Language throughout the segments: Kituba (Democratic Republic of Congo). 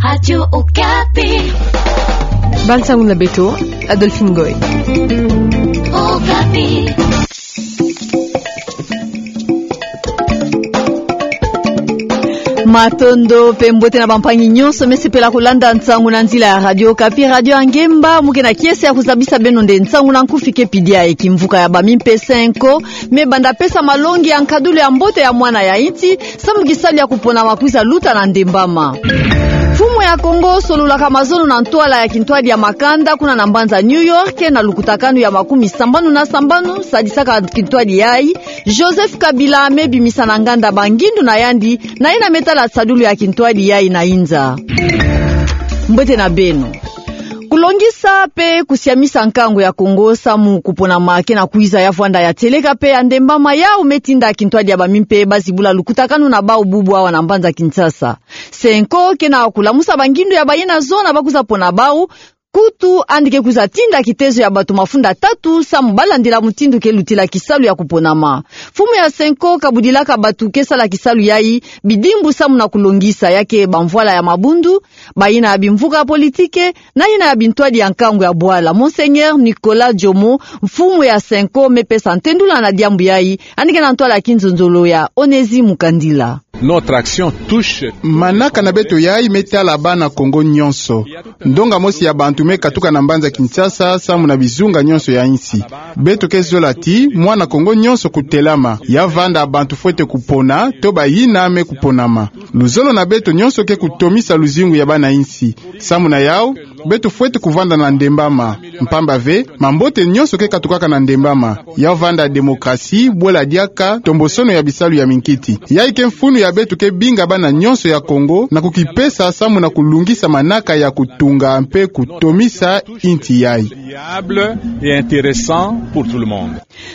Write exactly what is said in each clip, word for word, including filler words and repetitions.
Radio Okapi. Bande nsangu na beto, Adolphine Ngoy. Okapi. Matondo mpe mbote na bampangi nyonso me sepela kolanda nsangu na nzila ya Radio Okapi, radio ya ngemba, mu ke na kiese ya kozabisa beno nde nsangu na nkufi ke pidi aye. Kimvuka ya bamimpe Cenco me banda pesa malongi ya nkadulu ya mbote ya mwana ya insi, samu kisalu ya kopona ma kwiza luta na ndembama. Mfumu ya Kongo sololaka mazono na ntwala ya kintwadi ya makanda kuna na mbanza New York, na lukutakanu ya makumi sambanu na sambanu sadisaka kintwadi yayi, Joseph Kabila me bimisa na nganda bangindu na yandi, na yina me tala sadulu ya kintwadi yayi na inza. Mbote na beno. Kolongisa mpe kosiamisa nkangu ya Kongo samu koponama ke na kwiza ya vwanda ya tieleka mpe ya ndembama, yau me tinda kintwadi ya bamimpe bazibula lukutakanu na bau bubu awa na mbanza Kinshasa. Cenco ke na kolamusa bangindu ya bayina zona ba kwiza pona bau, kutu yandi ke kwiza tinda kitezo ya bato mafunda tatu samu balandila mutindu ke lutila kisalu ya koponama. Mfumu ya Cenco kabudilaka bato ke sala kisalu yayi bidimbu samu na kolongisa, ya ke bamvwala ya mabundu, bayina ya bimvuka ya politike, na yina ya bintwadi ya nkangu ya bwala. Monseigneur Nicolas Jomo, mfumu ya Cenco, me pesa ntendula na diambu yayi, yandi ke na ntwala ya kinzonzolo ya Onésime Mukandila. Notre action touche. Manaka na beto yayi me tala bana Kongo nyonso. Ndonga mosi ya bantu me katuka na mbanza Kinshasa samu na bizunga nyonso ya insi. Beto ke zola ti mwana Kongo nyonso kotelama, ya vanda bantu fwete kopona to bayina me koponama. Luzolo na beto nyonso ke kotomisa luzingu ya bana insi. Samu na yau, beto fwete kovanda na ndembama. Mpamba ve, mambote nyonso ke katukaka na ndembama. Ya vanda démocratie, bwela diaka, tombosono ya bisalu ya minkiti. Yayi ke mfunu ya beto ke binga bana nyonso ya Kongo na kokipesa samu na kolungisa manaka ya kotunga mpe kotomisa insi yayi. Viable et intéressant pour tout le monde.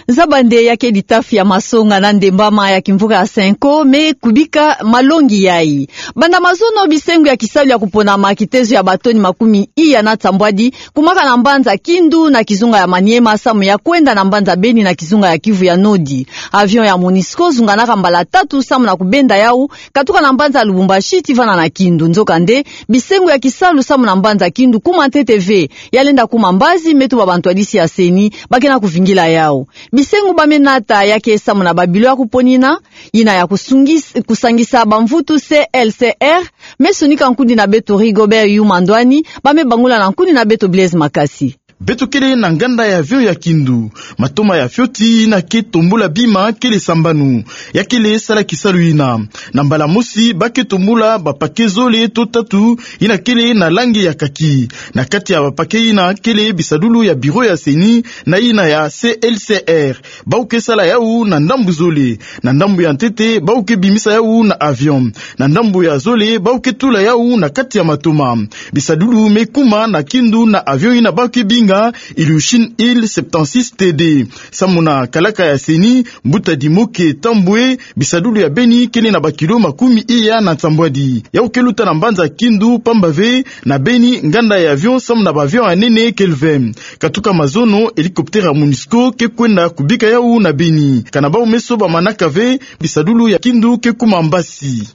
Zaba nde ya ke litafi ya masonga na ndembama ya kimvuka ya Cenco me kubika malongi yayi. Banda mazono, bisengo ya kisalu ya koponama kitezo ya batoni makumi iya na nsambwadi kumaka na mbanza Kindu na kizunga ya Maniema samu ya kwenda na mbanza Beni na kizunga ya Kivu ya Nodi. Avion ya Monusco zunganaka mbala tatu samu na kobenda yau, katuka na mbanza Lubumbashi tii vana na Kindu. Nzokande, bisengo ya kisalu samu na mbanza Kindu kuma ntete ve, ya lenda kuma mbazi, me tuba bantwadisi ya CENI ba ke na kovingila yau. Bisengo ba me nata ya ke samu na babilo ya koponina, yina ya kosungis-, kosangisa bamvutu C L C R, me sonika nkundi na beto Rigobert Yuma Ndwani, ba me bangula na nkundi na beto Blaise Makasi. Beto kele na nganda ya avion ya Kindu, matoma ya fioti yina ke tombula bima kele sambanu, ya kele sala kisalu yina. Na mbala mosi, ba ke tombula ba paquet zole to tatu, yina kele na langi ya kaki. Na kati ya ba paquet yina kele bisadulu ya bureau ya CENI, na yina ya C L C R. Bau ke sala yau na ndambu zole. Na ndambu ya ntete, bau ke bimisa yau na avion. Na ndambu ya zole, bau ke tula yau na kati ya matoma. Bisadulu me kuma na Kindu na avion yina bau ke binga Ilyushin Il septantasis T D. Samu na kalaka ya CENI, mbuta Dimoke Tambwe, bisadulu ya Beni kele na bakilo makumi iya na nsambwadi. Yau ke luta na mbanza Kindu, pamba ve na Beni, nganda ya avion samu na ba avion ya nene kele ve. Katuka mazono, hélicoptère ya Monusco ke kwenda kobika yau na Beni. Kana bau meso ba manaka ve, bisadulu ya Kindu ke kuma mbasi.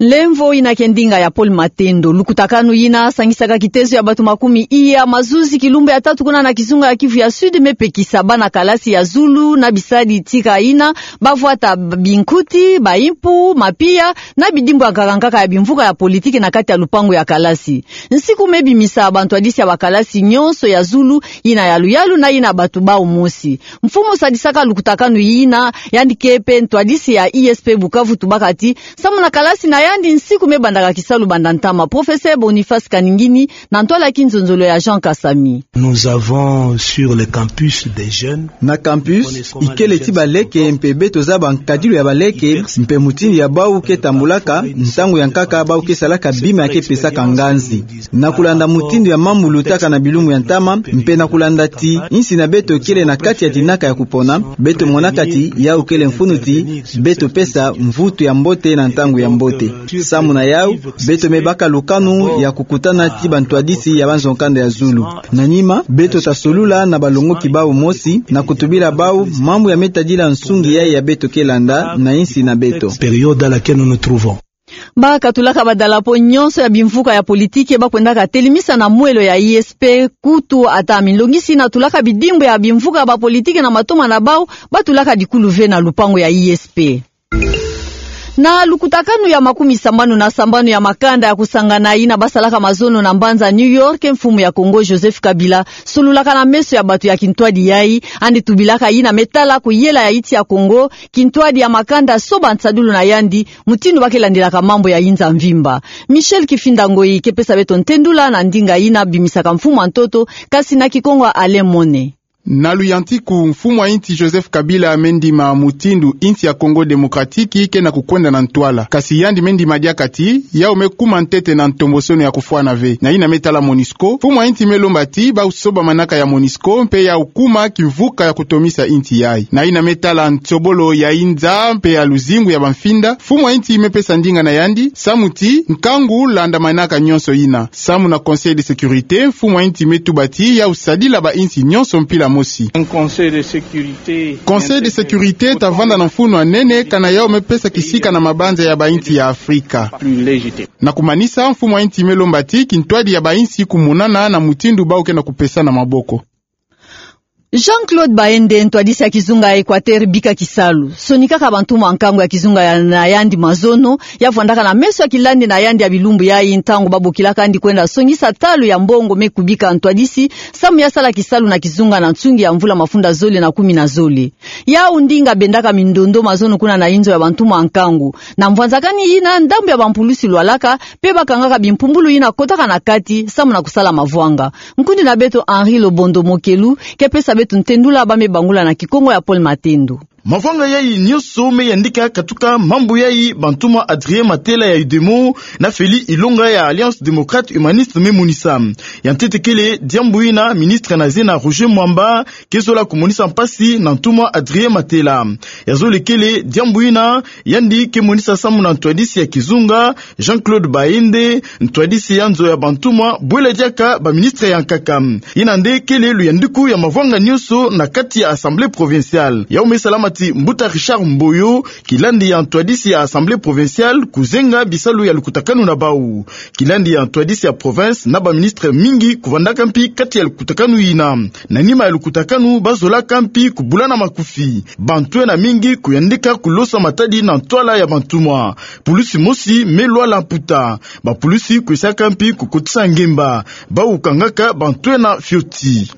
Lemvo yina ke ndinga ya Paul Matendo. Lukutakanu yina sangisaka kitezo ya bato makumi iya mazuzi kilumbu ya tatu kuna na kizunga ya Kivu ya Sud me pekisa bana kalasi ya zulu na bisadi tika yina ba vwata binkuti, baimpu, mapiya, na bidimbu ya nkaka nkaka ya bimvuka ya politiki na kati ya lupangu ya kalasi. Nsiku me bimisa bantwadisi ya bakalasi nyonso ya zulu, yina ya luyalu na yina bato bau mosi. Mfumu sadisaka lukutakanu yina, yandi ke mpe ntwadisi ya I S P Bukavu, tubaka ti samu na kalasi na yandi, nsiku me bandaka kisalu banda ntama. Professeur Boniface Kaningini, na ntwala ya kinzonzolo ya Jean Kasami. Nous avons sur le campus des jeunes. Na campus, ikele ti baleke mpe beto zaba nkadilu ya baleke, mpe mutindu ya bau ke tambulaka, ntangu ya nkaka bau ke salaka bima ya ke pesaka nganzi. Na kulanda mutindu ya mambu lutaka na bilumbu ya ntama, mpe na kulanda ti insi na beto kele na kati ya dinaka ya kupona, beto monaka ti yau kele mfunu ti beto pesa mvutu ya mbote na ntangu ya mbote. Samu na yau, beto me baka lukanu ya kukutana ti bantwadisi ya banzo-nkanda ya zulu. Na nima, beto ta solula na balongoki bau mosi, na kutubila bau mambu ya me tadila nsungi yai ya beto ke landa na insi na beto. Période à laquelle nous nous trouvons. Bakatulaka badalapo nyonso ya bimvuka ya politiki bakwendaka telemisa na mwelo ya I S P, kutu ata minlongisi natulaka bidimbu ya bimvuka ya bapolitiki na matoma na bau, batulaka dikulu ve na lupangu ya I S P. Na lukutakanu ya makumi sambanu na sambanu ya makanda ya kusangana yina basalaka mazono na mbanza New York, mfumu ya Kongo Joseph Kabila sololaka na meso ya bato ya kintwadi yayi, yandi tubilaka yina me tala kuyela ya insi ya Kongo, kintwadi ya makanda so bansadulu na yandi, mutindu ba ke landelaka mambu ya inza mvimba. Michel Kifinda Ngoyi ke pesa beto ntendula na ndinga yina bimisaka mfumu ya ntoto, kasi na Kikongo ya Alain Mone. Na luyantiku, mfumu ya insi Joseph Kabila me ndima mutindu insi ya Congo Démocratique ke na kukwenda na ntwala. Kasi yandi me ndima diaka ti, yau me kuma ntete na ntombosono ya kufwana ve. Na yina me tala MONUSCO, mfumu ya insi me lomba ti, bau soba manaka ya MONUSCO, mpe yau kuma kimvuka ya kutomisa insi yayi. Na yina me tala nsobolo ya inza, mpe ya luzingu ya bamfinda, mfumu ya insi me pesa ndinga na yandi, samu ti, nkangu landa manaka nyonso yina. Samu na Conseil de sécurité, mfumu ya insi me tuba ti, yau sadila ba insi nyonso mpila mosi. Un conseil de sécurité. Conseil de sécurité ta vanda na mfunu ya nene, kana yau me pesa kisika na mabanza ya ba insi ya Afrika. Plus légitime. Na kumanisa, mfumu ya insi me lomba ti, kintwadi ya ba insi kumonana na mutindu bau ke na kupesana maboko. Jean-Claude Baende, ntwadisi ya kizunga ya Équateur, bika kisalu. Sonikaka bantu mwa nkangu ya kizunga ya, na yandi mazono, ya vwandaka na meso ya kilandi na yandi ya bilumbu yayi ntangu babokilaka yandi kwenda songisa talu ya mbongo me kubika ntwadisi, samu ya sala kisalu na kizunga na nsungi ya mvula mafunda zole na kumi na zole. Yau ndinga bendaka mindondo mazono kuna na inzo ya bantu mwa nkangu. Na mvwanzakani yina, ndambu ya bampulusi lwalaka, mpe bakangaka bimpumbulu yina kotaka na kati, samu na kusala mavwanga. Nkundi na beto Henri Lobondo Mokelu ke pesa beto ntendula, ba me bangula na Kikongo ya Paul Matendo. Mavwanga yayi nyonso me yandika katuka mambu yayi bantu mwa Adrien Matela ya UDEMO na Félix Ilonga ya Alliance Démocrate Humaniste me monisa. Ya ntete kele diambu yina ministre na zena Roger Mwamba ke zola kumonisa mpasi na ntu mwa Adrien Matela. Ya zole kele diambu yina yandi ke monisa samu na ntwadisi ya kizunga, Jean-Claude Baende, ntwadisi ya nzo ya bantu mwa bwela diaka baministre ya nkaka. Yina nde kele luyandiku ya mavwanga nyonso na kati ya Assemblée provinciale. Yau me salama ti mbuta Richard Mboyo, kilandi ya ntwadisi ya Assemblée provinciale, kuzenga bisalu ya lukutakanu na bau. Kilandi ya ntwadisi ya province na baministre mingi kuvandaka mpi kati ya lukutakanu yina. Na nima ya lukutakanu, bazolaka mpi kubulana makufi. Bantwenia mingi kuyandika kulosa matadi na ntwala ya bantu mwa. Pulusi mosi me lwala mputa. Bapulusi kwisaka mpi kukotisa ngemba. Bau kangaka bantwenia fioti.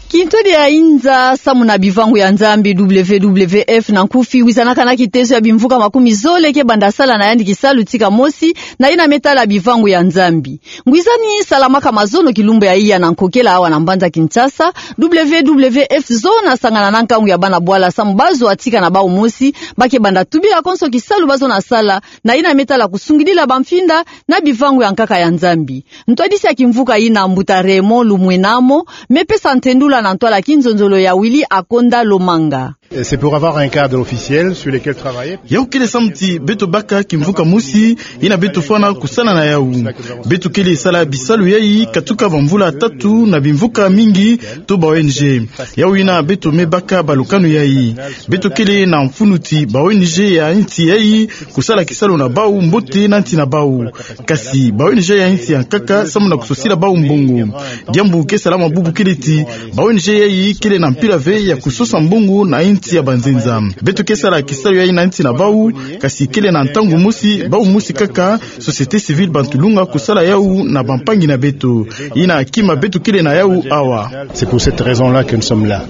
Kintwadi ya inza samu na bivangu ya Nzambi, W W F na nkufi, wizanaka na kitezo ya bimvuka makumi zole ke banda sala na yandi kisalu tika mosi, na yina me tala bivangu ya Nzambi. Ngwizani salamaka mazono kilumbu ya iya na nkokela awa na mbanza Kinshasa, W W F zo nasangana na nkangu ya bana bwala samu bazwa tika na bau mosi, ba ke banda tubila konso kisalu bazo na sala, na yina me tala kusungidila bamfinda na bivangu ya nkaka ya Nzambi. Ntwadisi ya kimvuka yina, mbuta Raymond Lumwenamo, me pesa ntendula na ntwala kinzonzolo ya Willy Akonda Lomanga. Et c'est pour avoir un cadre officiel sur lequel travailler. Yau kele samu ti beto baka kimvuka mosi yina beto fwana kusala na yau. Beto kele sala bisalu yayi katuka bamvula tatu na bimvuka mingi to ba O N G. Yau yina beto me baka balukanu yayi. Beto kele na mfunu ti ba O N G ya insi yayi kusala kisalu na bau mbote na nsi na bau. Kasi ba O N G ya insi ya nkaka samu na kusosila bau mbongo. Diambu ke salama bubu kele ti ba O N G yayi kele na mpila ve ya kusosa mbongo na insi ya banzenza. Beto ke sala kisalu yayi na nsi na bau, kasi kele na ntangu mosi, bau mosi kaka, société civile, bantu lunga kusala yau na bampangi na beto. Yina kima beto kele na yau awa. C'est pour cette raison-là que nous sommes là.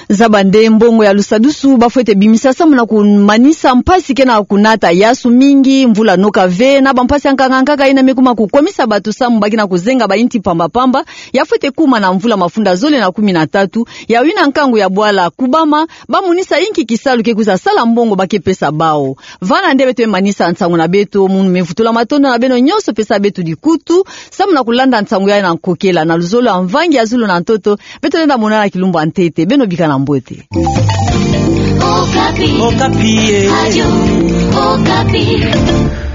Zaba nde mbongo ya lusadusu bafwete bimisa samu na kumanisa mpasi ke na kunata yasu mingi, mvula noka ve, na bampasi ya nkaka nkaka yina me kuma kukomisa bato samu ba ke na kuzenga ba insi pamba pamba, ya fwete kuma na mvula mafunda zole na kumi na tatu, yau yina nkangu ya bwala kubama, ba monisa inki kisalu ke kwiza sala mbongo ba ke pesa bau. Vana nde beto me manisa nsangu na beto, munu me vutula matondo na beno nyonso pesa beto dikutu, samu na kulanda nsangu yayi na nkokela, na luzolo ya mvangi ya zulu na ntoto, beto lenda monana kilumbu ya ntete, beno bikana mbote. Okapi. Okapi, eh. Radio Okapi.